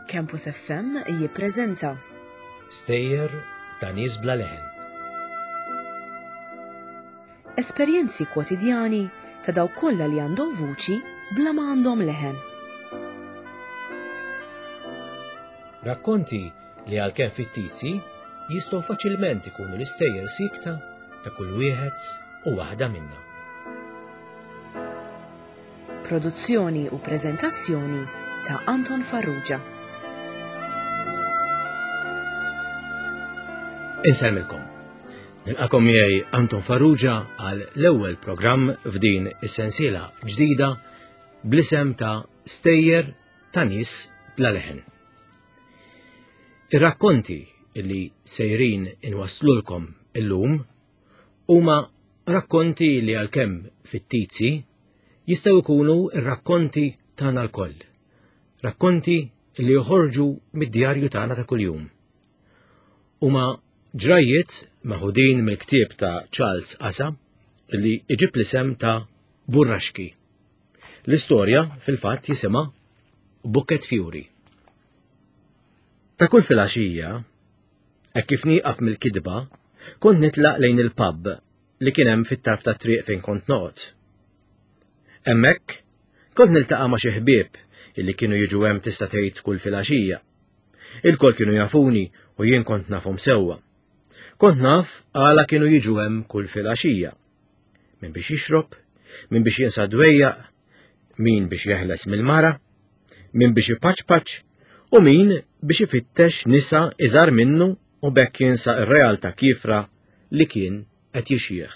Campus FM jippreżenta Stejjer ta' nies bla leħen. Esperjenzi kwotidjani ta' dawk kollha li għandhom vuċi bla ma għandhom leħen. Rakkonti li għalkemm fittizji jistgħu faċilment ikunu l-istejjer siekta ta' kull wieħed u waħda minna. Produzzjoni u preżentazzjoni ta' Anton Farrugia. Insellmilkom. Nilqakom miegħi Anton Farrugia għal l-ewwel programm f'din is-sensiela ġdida bl-isem ta' Stejjer ta' nies bla leħen. Ir-rakkonti li sejrin inwasslulkom illum huma rakkonti li għalkemm fittizji jistgħu jkunu r-rakkonti tagħna lkoll. Rakkonti li joħorġu mid-djarju tagħna ta' kuljum. Huma ġrajjiet meħudin mill-ktieb ta' Charles Asa li iġib l-isem ta' Burraxki. L-istorja fil-fatt jisimha Bucket Fury. Ta' kull filgħaxija, hekk kif nieqaf mill-kitba, kont nitlaq lejn il-pub li kien hemm fit-tarf tat-triq fejn kont noqgħod. Hemmhekk kont niltaqa' ma' xi ħbieb illi kienu jiġu hemm tista' tgħid kull filgħaxija. Ilkoll kienu jafuni u jien kont nafhom sewwa. Kont naf għala kienu jiġu hemm kull filgħaxija. Min biex jixrob, min biex jinsa dwejjaq, min biex jeħles mill-mara, min biex ipaċpaċ u min biex ifittex nisa iżgħar minnu u bekk jinsa r-realtà kiefra li kien qed jixjieħ.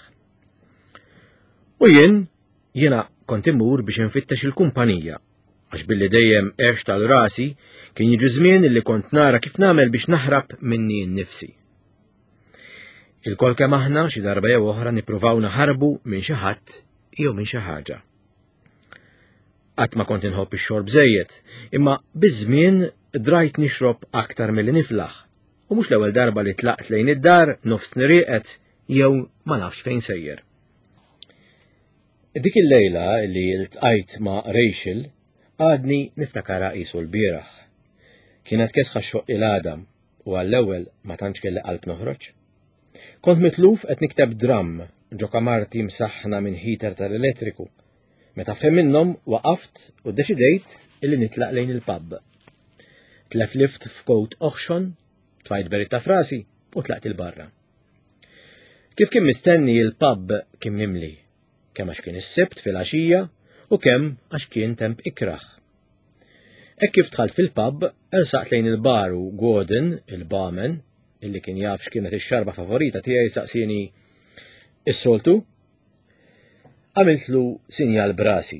U jien, jiena kont immur biex infittex il-kumpanija, għax billi dejjem għext għal rasi kien jiġi żmien li kont nara kif nagħmel biex naħrab minni nnifsi. Ilkoll kemm aħna xi darba jew oħra nippruvaw naħarbu minn xi ħadd jew minn xi ħaġa. Qatt ma kont inħobb ix-xorb żejjed, imma biż-żmien drajt nixrob aktar milli niflaħ. U mhux l-ewwel darba li tlaqt lejn id-dar nofs nirieqed jew ma nafx fejn sejjer. Dik il-lejla li ltqajt ma' Rachel għadni niftakarha qisu l-bieraħ. Kienet kesħa xoq il-għadam u għall-ewwel ma tantx kelli qalb noħroġ. Kont mitluf qed nikteb dramm ġo kamarti msaħħna minn heater tal-elettriku. Meta f'ħin minnhom waqaft u ddeċidejt illi nitlaq lejn il-pub. Tleflift f'kowt oħxon, tfajt beritta frasi u tlaqt il-barra. Kif kien mistenni il-pub kien mimli, kemm għax kien is-Sibt filgħaxija u kemm għax kien temp ikrah. Hekk kif dħalt fil-pub, ersaqt lejn il-bar u Gordon, il-barman, illi kien jaf x'kienet ix-xarba favorita tiegħi saqsieni is-soltu. Għamiltlu sinjal brasi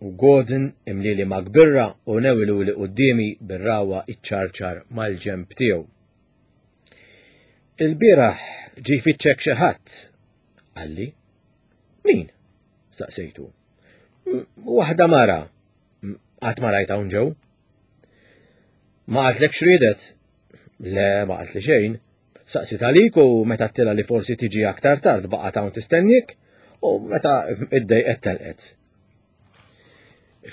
u Gordon imlili ma' kbirra u newilu li quddiemi bir-rawa iċċarċar mal-ġenb tiegħu. Il-bieraħ ġie jfittxek xi ħadd, qalli. Min? Saqsejtu. Waħda mara, Qatt ma rajt hawn ġew. Ma qaltlek x'riedet? Le, ma qaltli xejn. Saqsit għalik u meta tila li forsi tiġi aktar tard baqgħet hawn tistennik u meta iddejqet telqet.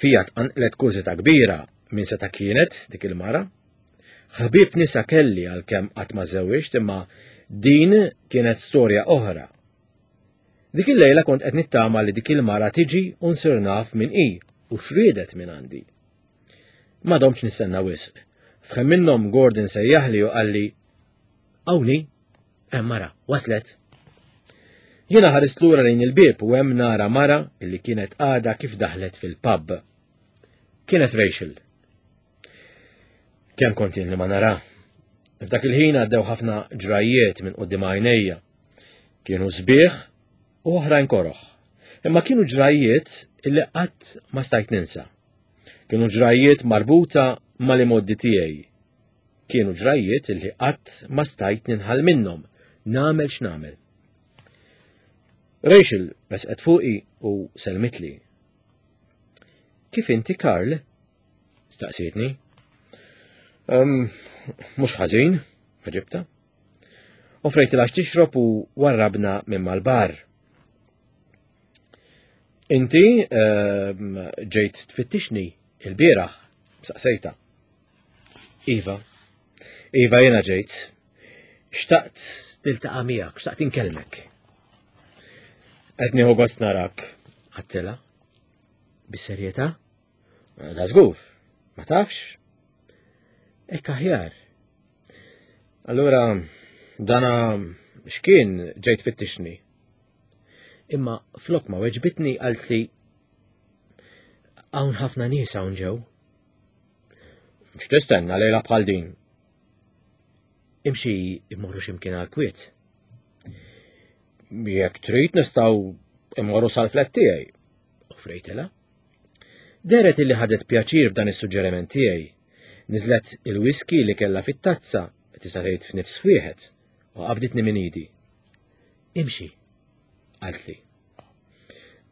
Fija tqanqlet kurżità kbira minn seta' kienet dik il-mara. Ħbieb nisa kelli għalkemm qatt ma żewwiġt imma din kienet storja oħra Dik il-lejla kont qed nittama li dik il-mara tiġi u nsir naf min hi u x'riedet minn għandi. Ma domtx nistenna wisq. F'ħin minnhom Gordon sejjaħli u qalli Hawnhi, hemm mara, waslet. Jiena ħarist lura lejn il-bieb u hemm nara mara illi kienet għadha kif daħlet fil-pub. Kienet Rachel. Kemm kont jien li ma nara. F'dak il-ħin għaddew ħafna ġrajjiet minn quddiem għajnejja. Kienu sbieħ u oħrajn koroħ. Imma kienu ġrajjiet illi qatt ma stajt ninsa. Kienu ġrajjiet marbuta mal-imoddi tiegħi. Kienu ġrajjiet illi qatt ma stajt ninħal minnhom, nagħmel x'nagħmel. Rachel resqet fuqi u selmitli. Kif inti Karl? Staqsietni. Um, mhux ħażin, ħaġibta. Offrejtilha x'tixrob u warrabna minn mal-bar. Inti ehm, ġejt tfittixni il-bieraħ, saqsejta. Iva, Iva jiena ġejt. Xtaqt niltaqa' miegħek, xtaqt inkellmek. Qed nieħu gost narak, għattela. Bis-serjetà? Da żgur, ma tafx? Ekk aħjar. Allura, dana x'kien ġejt fittixni? Imma flok ma weġbitni qaltli hawn ħafna nies hawn ġew. X'tistenna lejla bħal din? Imxi immorru x'imkien għal kwiet. Jekk trid nistgħu immorru sal-flet tiegħi, offrejtilha. Dehret illi ħadet pjaċir b'dan is-suġġeriment tiegħi. Niżlet il-whisky li kellha fit-tazza, tista' tgħid f'nifs wieħed, u qabditni minn idi. Imxi, qaltli.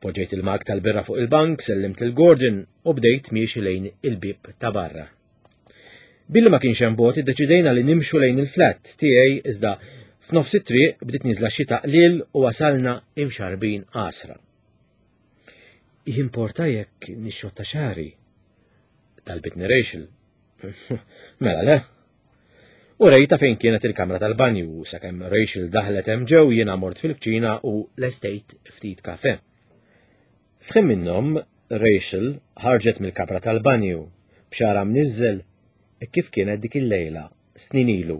Poġġejt il-mag tal-birra fuq il-bank, sellimt lil Gordon u bdejt miexi lejn il-bieb ta' barra. Billi ma kienx hemm bogħod iddeċidejna li nimxu lejn il-flat tiegħi iżda f'nofs it-triq bdiet nieżla xita qliel u wasalna imxarbin għasra. Jimporta jekk nixxotta xagħri? Talbitni Rachel. Mela le. U rejta fejn kienet il-kamra tal-banju, sakemm Rachel daħlet hemm ġew jiena mort fil-kċina u lestejt ftit kafe. F'ħin minnhom, Rachel ħarġet mill-kamra tal-banju, b'xara mniżżel kif kienet dik il-lejla, snin ilu,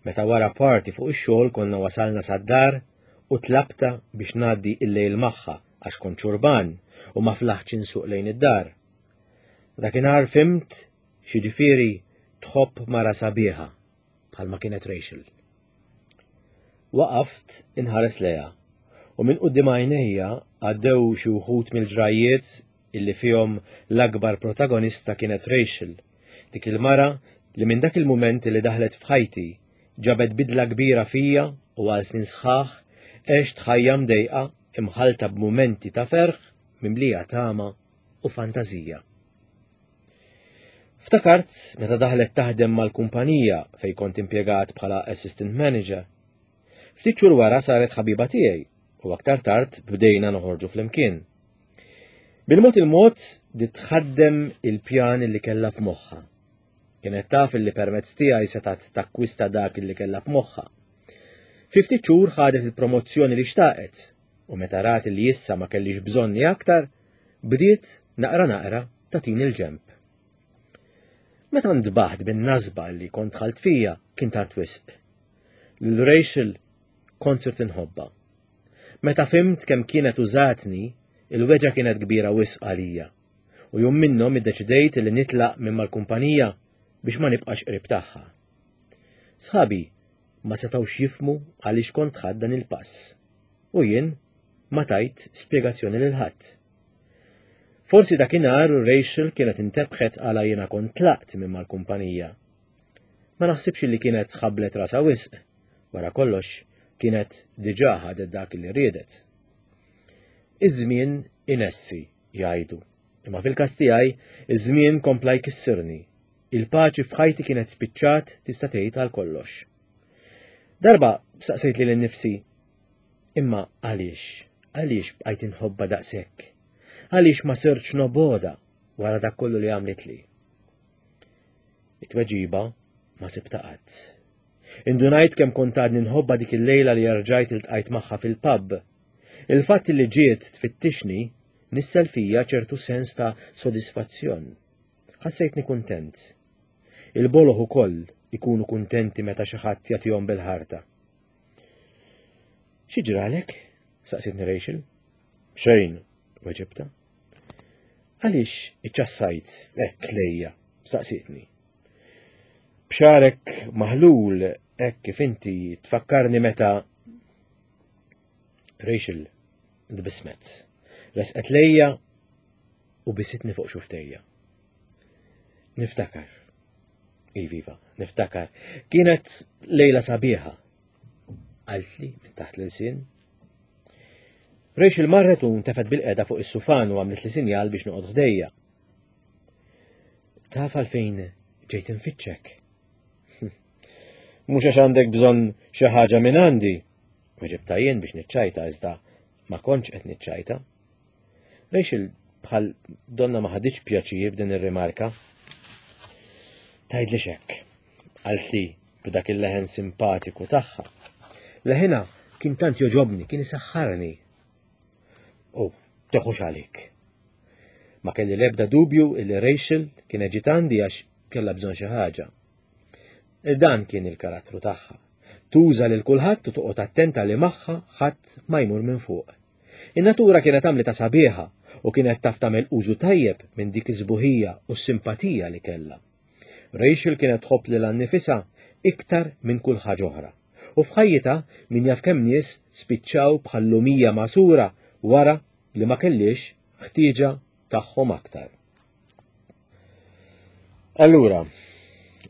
meta wara party fuq ix-xogħol konna wasalna sad-dar u tlabtha biex ngħaddi il-lejl magħha għax kont xurban u ma flaħtx insuq lejn id-dar. Dakinhar fhimt x'jiġifieri tħobb mara sabiħa bħalma kienet Rachel. Waqaft inħares lejha u minn quddiem għajnejja għaddew xi wħud mill-ġrajjiet illi fihom l-akbar protagonista kienet Rachel, dik il-mara li minn dak il-mument li daħlet f'ħajti ġabet bidla kbira fija u għal snin sħaħ għext ħajja mdejqa imħallta b'mumenti ta' ferħ mimlija tama u fantażija. Ftakart meta daħlet taħdem mal-kumpanija fejn kont impjegat bħala assistant manager. Ftit xhur wara saret ħabiba tiegħi u aktar tard bdejna noħorġu flimkien. Bil-mod il-mod bdiet tħaddem il-pjan li kellha f'moħħha. Kienet taf illi permezz tiegħi setgħet takkwista dak illi kellha f'moħħha. Fi ftit xhur ħadet il-promozzjoni li xtaqet u meta rat li issa ma kellix bżonni aktar, bdiet naqra naqra tagħtini l-ġenb. Meta ntbaħt bin-nasba li kont dħalt fija kien tard wisq. Lil Rachel kont sirt inħobbha. Meta fhimt kemm kienet użatni, il-weġgħa kienet kbira wisq għalija. U jum minnhom iddeċidejt li nitlaq minn mal-kumpanija biex ma nibqax qrib tagħha. Sħabi ma setgħux jifhmu għaliex kont ħadt dan il-pass. U jien ma tajt spjegazzjoni lil ħadd. Forsi dakinhar Rachel kienet intebħet għala jiena kont tlaqt minn mal-kumpanija. Ma naħsibx li kienet ħabblet rasha wisq. Wara kollox, kienet diġà ħadet dak li riedet. Iż-żmien inessi, jgħidu. Imma fil-każ tiegħi, iż-żmien kompla jkissirni. Il-paċi f'ħajti kienet spiċċat tista' tgħid għal kollox. Darba saqsejt lili nnifsi, imma għaliex? Għaliex bqajt inħobbha daqshekk? Għaliex ma sirtx nobgħodha wara dak kollu li għamlitli? It-tweġiba ma sibta qatt. Indunajt kemm kont għadni nħobbha dik il-lejla li erġajt iltqajt magħha fil-pub. Il-fatt li ġiet tfittixni nissel fija ċertu sens ta' sodisfazzjon. Ħassejtni kuntent. Il-boloh ukoll ikunu kuntenti meta xi ħadd jagħtihom bil-ħarta. Xi ġralek? saqsitni Rachel. Xejn, weġibta. Għaliex iċċassajt hekk lejja? saqsitni. B'xagħrek maħlul hekk kif inti tfakkarni meta Rachel tbissmet. Resqet lejja u bisitni fuq xuftejja. Niftakar. Iviva, niftakar. Kienet lejla sabiħa. Qaltli minn taħt l-ilsien. Rachel marret u ntefet bil-qeda fuq is-sufan u għamlet li sinjal biex noqgħod ħdejja. Taf għalfejn ġejt infittxek. Mhux għax għandek bżonn xi ħaġa minn għandi. Weġibta jien biex niċċajta iżda ma kontx qed niċċajta. Rachel bħal donna ma ħaditx pjaċir b'din ir-rimarka. Tgħidli hekk. Qaltli b'dak il-leħen simpatiku tagħha. Leħinha kien tant joġobni, kien isaħħarni. U teħux għalik. Ma kelli l-ebda dubju illi Rachel kienet ġiet għandi għax kellha bżonn xi ħaġa. Dan kien il-karattru tagħha. Tuża lil kulħadd u toqgħod attenta li magħha ħadd ma jmur minn fuq. In-natura kienet għamlitha sabiħa u kienet taf tagħmel użu tajjeb minn dik iż-żbuħija u s-simpatija li kellha. Rachel kienet tħobb lilha nnifisha iktar minn kull ħaġa oħra. U f'ħajjitha min jaf kemm nies spiċċaw bħal lumija magħsura wara li ma kellhiex ħtieġa tagħhom aktar. Allura,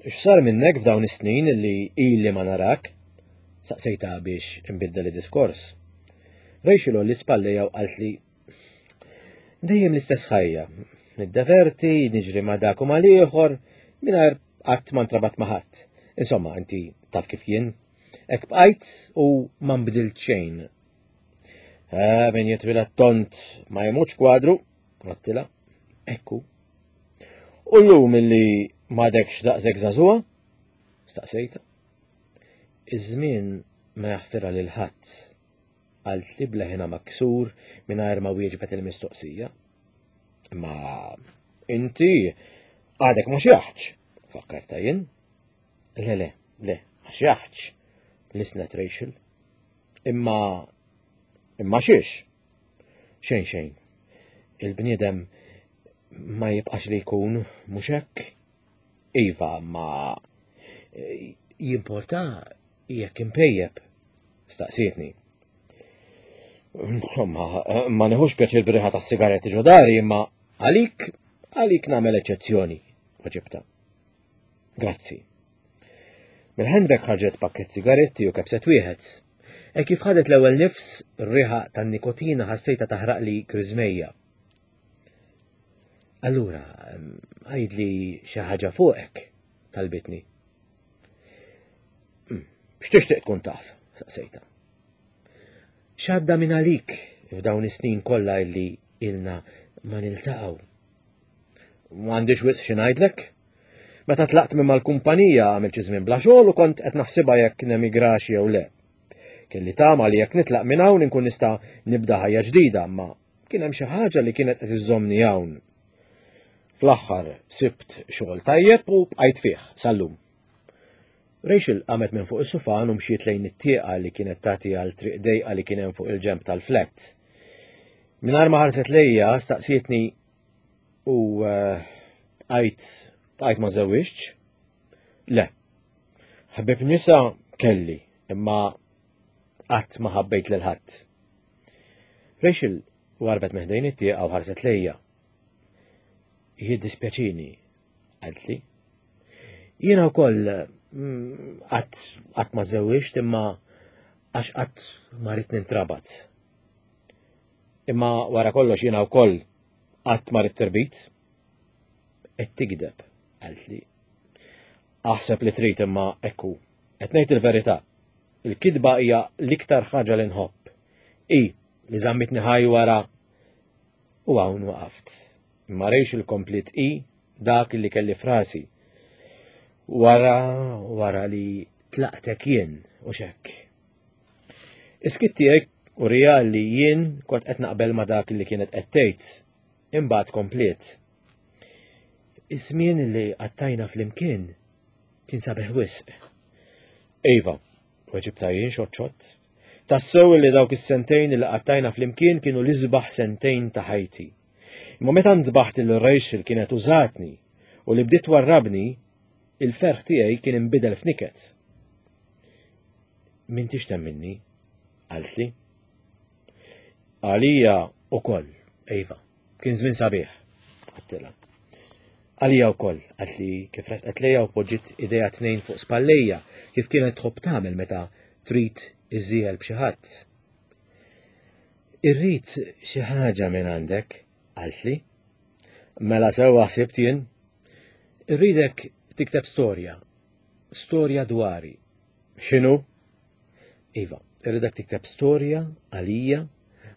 x'sar minnek f'dawn is-snin li ili ma narak? Saqsejta biex inbiddel id-diskors. Rachel li spallejja u qaltli dejjem l-istess ħajja. Niddeverti, niġri ma dak u mal-ieħor, mingħajr qatt ma ntrabat ma' ħadd. Insomma, inti taf kif jien. Hekk bqajt u ma nbdilt xejn. Eh, min jitwila tont ma jmutx kwadru, Għattila, ekku. U l-lum illi m'għadekx daqshekk żagħżugħa? Staqsejta. Iż-żmien ma jaħfirha lil ħadd, qaltli b'leħinha maksur mingħajr ma wieġbet il-mistoqsija. Ma inti għadek ma xjaħċ, fakkarta jien. Le, le, le, ma xjaħċ, lisnet Rachel. Imma, imma xiex? Xejn xejn. Il-bniedem ma jibqax li jkun, mhux hekk? Iva, ma eh, jimporta jekk impejjeb, staqsietni. Insomma, ma neħux pjaċir briħa tas sigaretti ġodari, imma għalik, għalik nagħmel eċċezzjoni, waġibta. Grazzi. Mill-handbag ħarġet pakket sigaretti u kebset wieħed. E kif ħadet l-ewwel nifs, r-riħa tan-nikotina ħassejta taħraqli griżmejja. Allura, għidli xi ħaġa fuqek, talbitni. Hmm, x'tixtieq tkun taf? saqsejta. X'għadda minn għalik f'dawn is-snin kollha illi ilna ma niltaqgħu? M'għandix wisq xi ngħidlek. Meta tlaqt minn mal-kumpanija għamilt xi żmien bla xogħol u kont qed naħsibha jekk nemigrax jew le. Kelli tama li jekk nitlaq minn hawn inkun nista' nibda ħajja ġdida, imma kien hemm xi ħaġa li kienet qed iżżommni hawn. Fl-aħħar sibt xogħol tajjeb u bqajt fih sal-lum. Rachel qamet minn fuq is-sufan u mxiet lejn it-tieqa li kienet tagħti għal triq dejqa li kien hemm fuq il-ġenb tal-flett. Mingħajr ma ħarset lejja staqsietni U eh, bqajt bqajt ma żewwiġtx? Le. Ħbib nisa kelli, imma qatt ma ħabbejt lil ħadd. Rachel warbet meħdejn it-tieqa u ħarset lejja. Jiddispjaċini, qaltli. Jiena wkoll mm, qatt qatt ma żewwiġt imma għax qatt ma rrid nintrabat. Imma wara kollox jiena wkoll qatt ma ridt irbit. Qed tigdeb, qaltli. Aħseb li trid imma ekku. Qed ngħid il-verità. Il-kidba hija l-iktar ħaġa li nħobb. I li żammitni ħaj wara u hawn waqaft. Imma rejx il-komplit i dak li kelli frasi. Wara wara li tlaqtek jien u xekk. Is-skiet tiegħi urija li jien kont qed naqbel ma' dak li kienet qed tgħid. Imbagħad kompliet. Iż-żmien li qattajna flimkien kien sabiħ wisq. Iva, weġibta jien xott Tassew li dawk is-sentejn li qattajna flimkien kienu l-isbaħ sentejn ta' ħajti. Imma meta ntbaħt il Rachel kienet użatni u li bdiet warrabni, il-ferħ tiegħi kien inbidel f'niket. M'intix temminni, qaltli. Għalija ukoll, iva, kien żmien sabiħ, għattilha. Għalija wkoll, qaltli kif resqet lejja u poġġiet idejha tnejn fuq spallejja kif kienet tħobb tagħmel meta trid iżżiegħel b'xi ħadd. Irrid xi ħaġa minn għandek, qaltli. Mela sewwa ħsibt jien. Irridek tikteb storja, storja dwari, X'inhu? Iva, irridek tikteb storja għalija,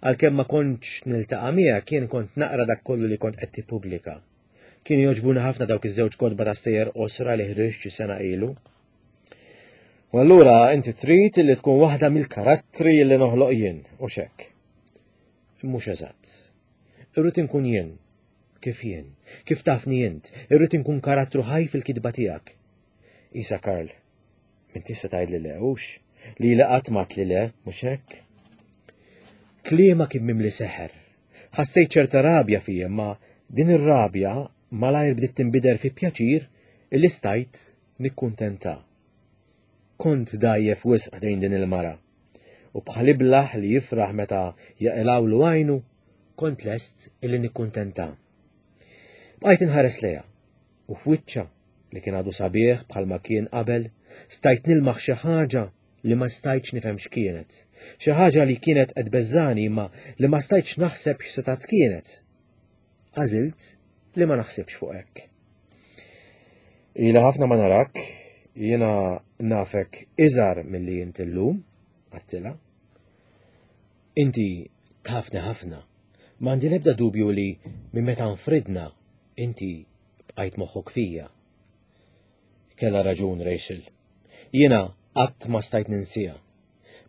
għalkemm ma kontx niltaqa' miegħek jien kont naqra dak kollu li kont qed tippubblika. Kienu jogħġbuni ħafna dawk iż-żewġ kotba ta' stejjer qosra li ħriġt xi sena ilu. U allura inti trid li tkun waħda mill-karattri li noħloq jien, u xek. Mhux eżatt. Irrid inkun jien, kif jien, kif tafni int, irrid inkun karattru ħaj fil-kitba tiegħek. Isa Karl, Inti se tgħidli le, hux? Li li qatt ma li le, mhux hekk? Kliema kien mimli seħer. Ħassejt ċerta rabja fija, ma din ir-rabja malajr bdiet tinbider fi pjaċir illi stajt nikkuntenta. Kont dajjef wisq ħdejn din il-mara. U bħal iblaħ li jifraħ meta jaqilgħulu għajnu, kont lest illi nikkuntenta. Bqajt inħares lejha u f'wiċċha li kien għadu sabiħ bħalma kien qabel, stajt nilmaħ xi ħaġa li ma stajtx nifhem x'kienet. Xi ħaġa li kienet qed beżżani imma li ma stajtx naħseb x'setat kienet. Għażilt li ma naħsibx fuq hekk. Ila ħafna ma narak, jiena nafek iżgħar milli int illum, għattila. Inti tafni ħafna. M'għandi l-ebda dubju li minn meta nfridna inti bqajt moħħok fija. Kellha raġun Rachel. Jiena qatt ma stajt ninsija.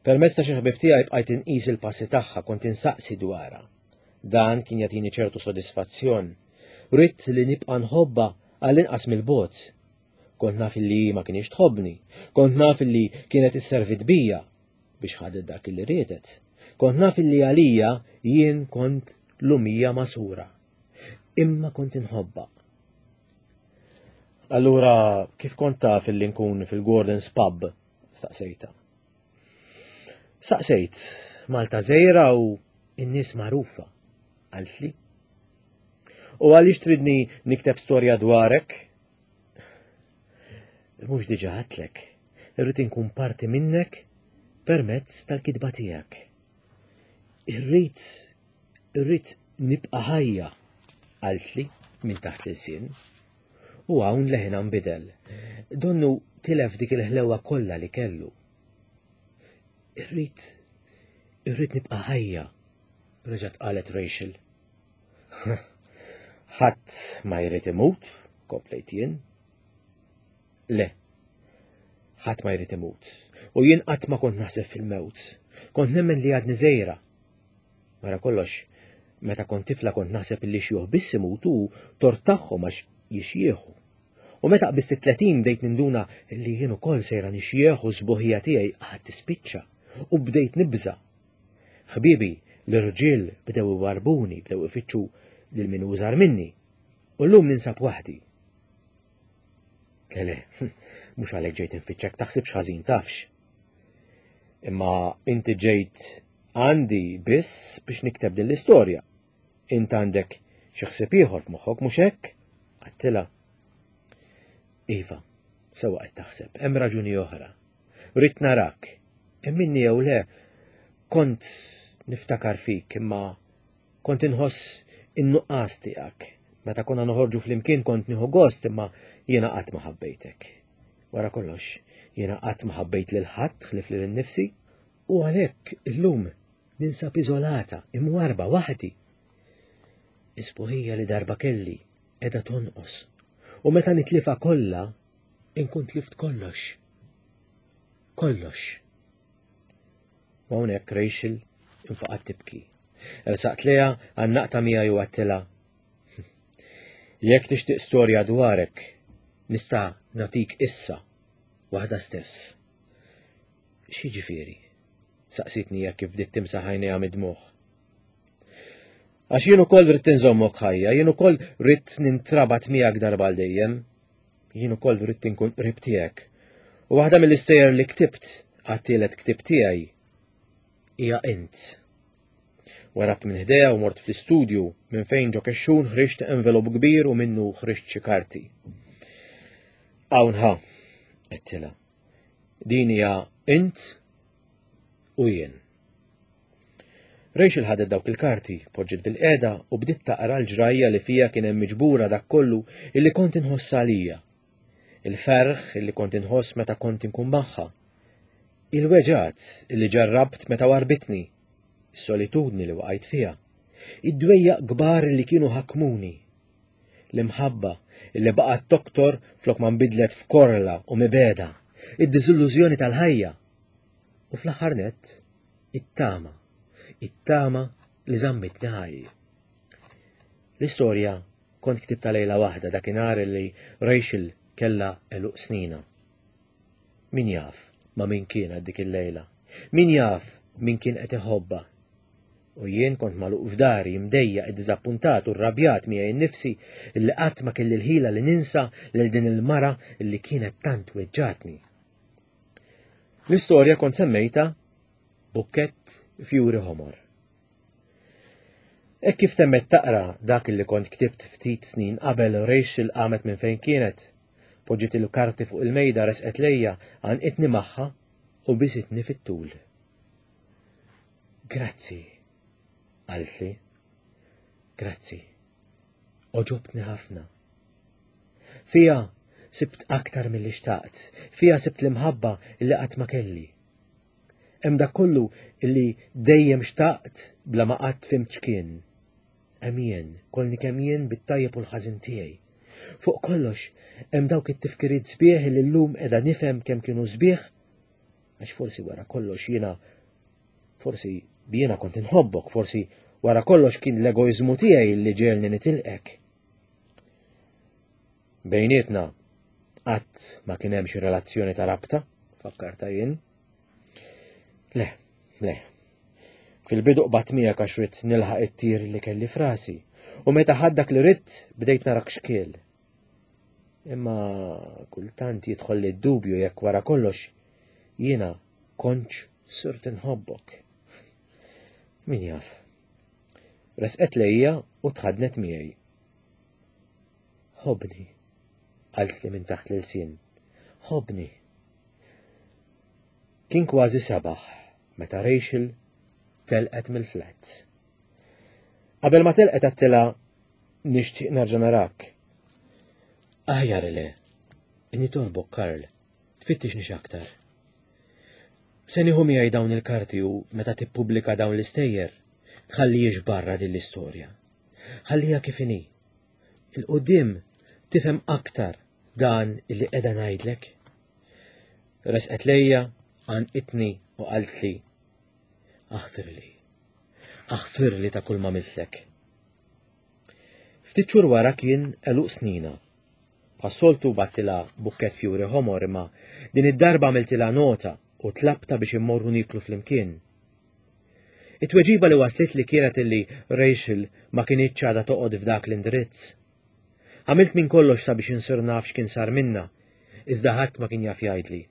Permezz ta' xi ħbieb tiegħi bqajt inqis il-passi tagħha kont insaqsi dwarha. Dan kien jagħtini ċertu sodisfazzjon. Ridt li nibqa' nħobbha għall-inqas mill-bogħod. Kont naf li hi ma kienx tħobbni, kont naf li kienet isservit bija biex ħadet dak li riedet. Kont naf li għalija jien kont lumija masura. Imma kont inħobbha. Allura, kif kont taf illi nkun fil-Gordon's Pub? Staqsejta. Saqsejt, Malta żgħira u n-nies magħrufa, qaltli. U għaliex tridni nikteb storja dwarek? Mhux diġà għedtlek, irrid inkun parti minnek permezz tal-kitba tiegħek. Irrid Irrid nibqa' ħajja, qaltli minn taħt l-ilsien. U hawn leħinha nbidel. Donnu tilef dik il-ħlewa kollha li kellu. Irrid, irrid nibqa' ħajja, reġgħet qalet Rachel. Ħadd ma jrid imut, komplejt jien. Le, ħadd ma jrid imut. U jien qatt ma kont naħseb fil-mewt. Kont nemmen li għadni żgħira Wara kollox, meta kont tifla kont naħseb li xjuħ biss imutu tort tagħhom għax jixjieħu. U meta qbist it-30 bdejt ninduna li jien ukoll sejra nixjieħ u s-sbuħija tiegħi qatt tispiċċa u bdejt nibża'. Ħbiebi l-irġiel bdew iwarbuni, bdew ifittxu lil min użar minni. U llum ninsab waħdi. Le le, mhux għalhekk ġejt infittxek, taħsibx ħażin tafx. Imma inti ġejt għandi biss biex nikteb din l-istorja. Int għandek xi ħsieb ieħor f'moħħok mhux hekk? Għattilha. Iva, sewa qed taħseb, hemm raġuni oħra. Ridt narak, emminni jew le, kont niftakar fik imma kont inħoss in-nuqqas tiegħek. Meta konna noħorġu flimkien kont nieħu gost imma jiena qatt ma ħabbejtek. Wara kollox, jiena qatt ma ħabbejt lil ħadd ħlief lil innifsi u għalhekk illum ninsab iżolata, imwarba waħdi. Is-sbuħija li darba kelli qiegħda tonqos u meta nitlifa kollha inkun tlift kollox. Kollox. U hawnhekk Rachel infaqat tibki. Ersaqt lejha għannaqta miegħi u għattilha. Jekk tixtieq storja dwarek, nista' nagħtik issa waħda stess. X'jiġifieri? Saqsitni hekk kif bdiet timsaħ għajnejha mid-dmugħ. Għax jien ukoll rrid inżommok ħajja, jien ukoll rrid nintrabat miegħek darba għal dejjem. Jien ukoll rrid inkun qrib tiegħek. U waħda mill-istejjer li ktibt għat-tielet ktieb tiegħi hija int. Warabt minn ħdejha u mort fl-istudju minn fejn ġo kexxun ħriġt envelop kbir u minnu ħriġt xi karti. Hawn ħa, għedtilha. Din hija int u jien. Rachel ħadet dawk il-karti, poġġiet bil-qeda u bdiet taqra l-ġrajja li fija kien hemm miġbura dak kollu illi kont inħoss għalija. Il-ferħ illi kont inħoss meta kont inkun magħha. Il-weġgħat illi ġarrabt meta warbitni. Is-solitudni li waqajt fiha. Id-dwejjaq kbar li kienu ħakmuni. L-imħabba illi baqgħet toktor flok ma nbidlet f'korla u mibegħda. id-diżillużjoni tal-ħajja u fl-aħħar nett it-tama, it-tama li żammitni ħaj. L-istorja kont ktibta lejla waħda dakinhar li Rachel kellha għeluq snina. Min jaf ma' min kienet dik il-lejla? Min jaf min kien qed iħobbha? U jien kont magħluq f'dari, imdejjaq, iddiżappuntat u rrabjat miegħi nnifsi illi qatt ma kelli l-ħila li ninsa lil din il-mara illi kienet tant weġġatni. L-istorja kont semmejta Bukkett fjuri ħomor. Hekk kif temmet taqra dak li kont ktibt ftit snin qabel Rachel qamet minn fejn kienet, poġġiet il-karti fuq il-mejda resqet lejja, għanqitni magħha u bisitni fit-tul. Grazzi, qaltli. Grazzi. Oġobtni ħafna. Fija sibt aktar milli xtaqt, fija sibt l-imħabba li qatt ma kelli. Hemm dak kollu li dejjem xtaqt bla ma qatt fimt x'kien. Hemm jien, kollni kemm jien bit-tajjeb u l-ħażin tiegħi. Fuq kollox, hemm dawk it-tifkiriet sbieħ li llum qiegħda nifhem kemm kienu sbieħ, għax forsi wara kollox jiena forsi jiena kont inħobbok, forsi wara kollox kien l-egoiżmu tiegħi li ġelni nitilqek. Bejnietna qatt ma kien hemm xi relazzjoni ta' rabta, fakkarta jien. Le, le. Fil-bidu qbadt miegħek għax ridt nilħaq it-tir li kelli frasi, u meta ħadd dak li ridt bdejt narak xkiel. Imma kultant jidħol li dubju jekk wara kollox jiena kontx sirt inħobbok. Min jaf. Resqet lejja u tħadnet miegħi. Ħobni, qaltli minn taħt l-ilsien. Ħobni. Kien kważi sebaħ meta Rachel telqet mill-flat. Qabel ma telqet għattilha nixtieq nerġa' narak. Aħjar le, nitolbok Karl, tfittixnix aktar. Se nieħu miegħi dawn il-karti u meta tippubblika dawn l-istejjer, tħallihiex barra din l-istorja. Ħalliha kif inhi. Il-qudiem tifhem aktar dan li qiegħda ngħidlek. Resqet lejja, għanqitni u qaltli aħfirli. Aħfirli ta' kull ma mitlek. Ftit xhur wara kien għeluq snina. Bħas-soltu battilha bukkett fjuri ħomor imma din id-darba għamiltilha nota u tlabta biex immorru niklu flimkien. It-tweġiba li waslitli kienet illi Rachel ma kinitx għadha toqgħod f'dak l-indirizz. Għamilt minn kollox sabiex insir naf x'kien sar minnha, iżda ħadd ma kien jaf jgħidli.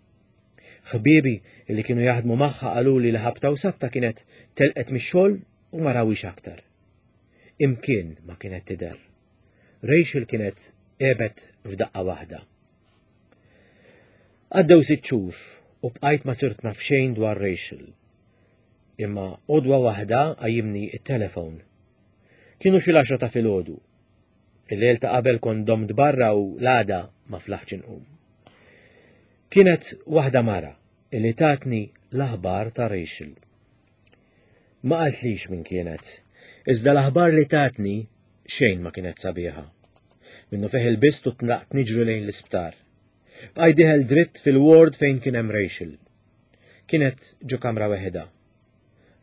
Ħbiebi li kienu jaħdmu magħha qaluli li ħabta u sabta kienet telqet mix-xogħol u ma rawhiex aktar. Imkien ma kienet tidher. Rachel kienet għebet f'daqqa waħda. Għaddew sitt xhur u bqajt ma sirt naf xejn dwar Rachel. Imma għodwa waħda qajjimni it-telefon. Kienu xi l-għaxra ta' filgħodu. Il-lejl ta' qabel kont domt barra u l-għada ma flaħtx inqum. Kienet waħda mara li tatni l-aħbar ta' Rachel. Ma qaltlix min kienet, iżda l-aħbar li tatni xejn ma kienet sabiħa. Minnu fih il-bist u tlaqt niġri lejn l-isptar. Bqajt dieħel dritt fil-ward fejn kien hemm Rachel. Kienet ġo kamra weħida.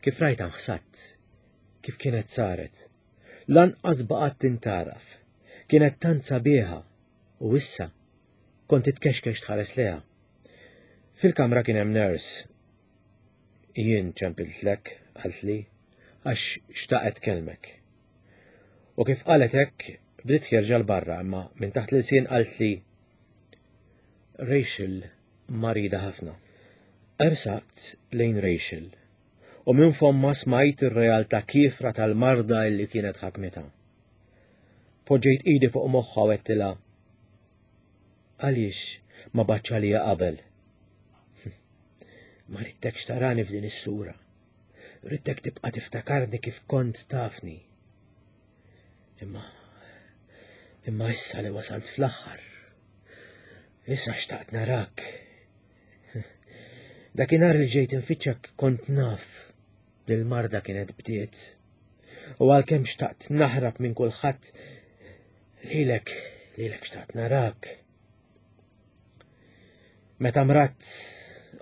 Kif rajta nħsatt, kif kienet saret. Lanqas baqgħet tintaraf. Kienet tant sabiħa u issa kont titkexkex tħares leha. Fil-kamra kien hemm nurse. Jien ċempiltlek, qaltli, għax xtaqet kelmek. U kif qalet hekk, bdiet ħierġa 'l barra imma minn taħt l-ilsien qaltli Rachel marida ħafna. Ersaqt lejn Rachel u minn fomma smajt ir-realtà kiefra tal-marda illi kienet ħakmitha. Poġġejt idi fuq moħħha u għedtilha Għaliex ma batx għalija qabel? Ma ridtekx tarani f'din is-sura. Ridtek tibqa' tiftakarni kif kont tafni. Imma imma issa li wasalt fl-aħħar. Issa xtaqt narak. Dakinhar li ġejt infittxek kont naf li l-marda kienet bdiet. U għalkemm xtaqt naħrab minn kulħadd, lilek, lilek xtaqt narak. Meta mradt,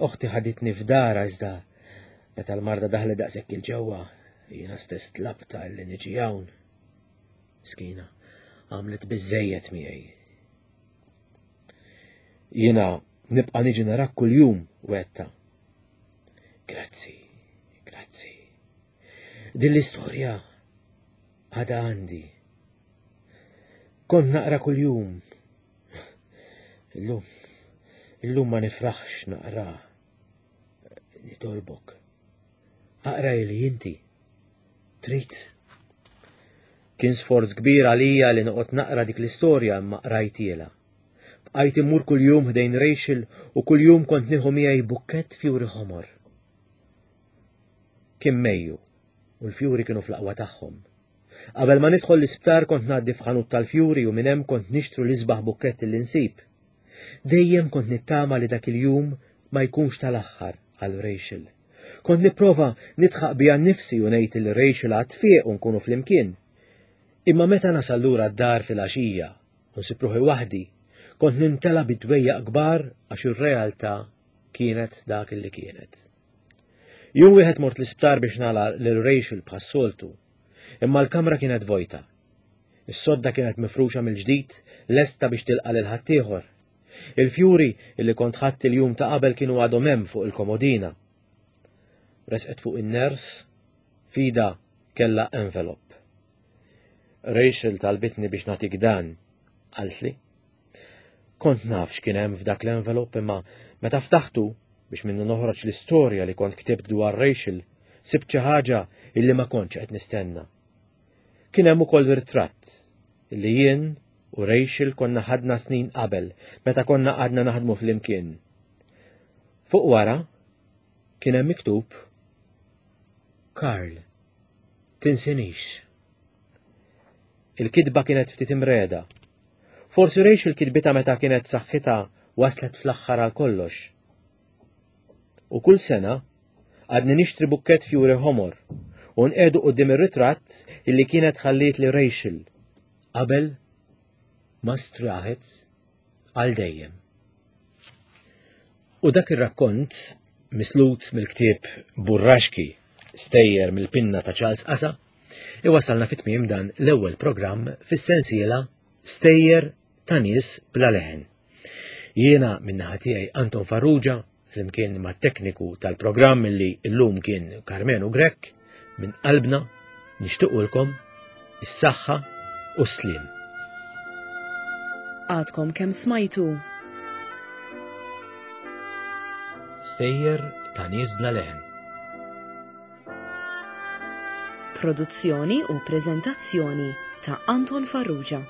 oħti ħaditni f'dara iżda meta l-marda daħlet daqshekk il-ġewwa, jiena stess tlabta li niġi hawn. Miskina, għamlet biżejjed miegħi. Jiena nibqa' niġi narak kuljum wetta. Grazzi, grazzi. Din l-istorja għada għandi. Kont naqra kuljum. Illum, illum ma nifraħx naqra. Nitolbok. Aqra li inti. Trid. Kien sforz kbir għalija li noqgħod naqra dik l-istorja imma qrajtiela. Bqajt immur kuljum ħdejn Rachel u kuljum kont nieħu miegħi bukkett fjuri ħomor. Kien Mejju u l-fjuri kienu fl-aqwa tagħhom. Qabel ma nidħol l-isptar kont ngħaddi f'ħanut tal-fjuri u minn hemm kont nixtru l-isbaħ bukkett li nsib. Dejjem kont nittama li dak il-jum ma jkunx tal-aħħar għal Rachel. Kont nipprova nidħaq bija nnifsi u ngħid li Rachel għad tfieq u nkunu flimkien. Imma meta nasal lura d-dar filgħaxija u nsib ruħi waħdi, kont nimtela bi dwejjaq kbar għax ir-realtà kienet dak li kienet. Jum wieħed mort l-isptar biex nara lil Rachel bħas-soltu, imma l-kamra kienet vojta. Is-sodda kienet mifruxa mill-ġdid, lesta biex tilqa' lil ħaddieħor. Il-fjuri illi kont ħadt il-jum ta' qabel kienu għadhom hemm fuq il-komodina. Resqet fuq in-ners, fida kella envelop. Rachel talbitni biex nagħtik dan, qaltli. Kont naf x'kien hemm f'dak l-envelop imma meta ftaħtu biex minnu noħroġ l-istorja li kont ktibt dwar Rachel, sibt xi ħaġa illi ma kontx qed nistenna. Kien hemm ukoll ritratt illi jien u Rachel konna ħadna snin qabel meta konna għadna naħdmu flimkien. Fuq wara kien hemm miktub Karl, tinsinix. Il-kitba kienet ftit imreda. Forsi Rachel kitbitha meta kienet saħħitha waslet fl-aħħar għal kollox. U kull sena għadni nixtri bukkett fjuri ħomor u nqedu qudiem ir-ritratt illi kienet ħalliet li Rachel qabel ma straħet għal dejjem. U dak ir-rakkont mislut mill-ktieb Burraxki stejjer mill-pinna ta' Charles Asa iwasalna fit-tmiem dan l-ewwel programm fis-sensiela Stejjer ta' nies bla leħen. Jiena min-naħa tiegħi Anton Farrugia flimkien mat-tekniku tal-programm li llum kien Karmenu Grech minn qalbna nixtiequlkom is-saħħa u s-sliem. Għadkom kemm smajtu. Stejjer ta' nies bla leħen. Produzzjoni u preżentazzjoni ta' Anton Farrugia.